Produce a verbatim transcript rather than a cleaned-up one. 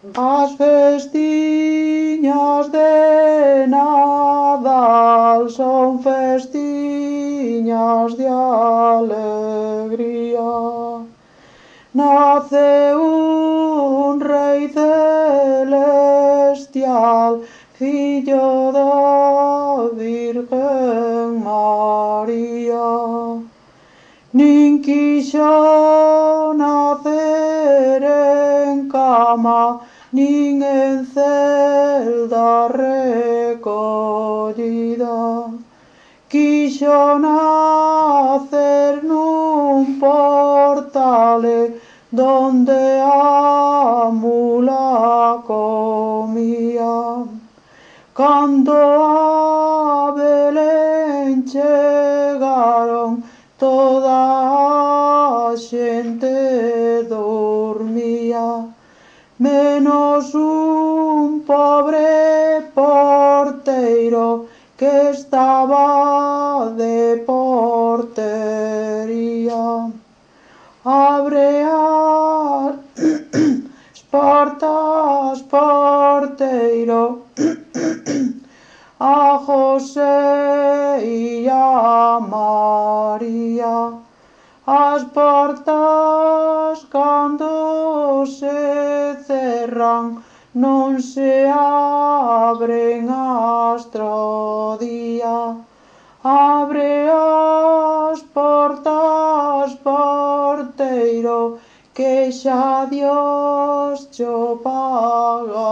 As festiñas de Nadal son festiñas de alegría. Nace un Rei celestial, fillo da Virgen María. Nin quixo nacer en cama, nin en celda recollida. Quixo nacer nun portale donde a mula comía. Cando a Belén chegaron, toda a xente dormía, menos un pobre porteiro que estaba de portería. Abre as portas, porteiro, a José e a María. As portas cando se cerran non se abren astro día. Abre as portas, porteiro, que xa Dios cho pagaría.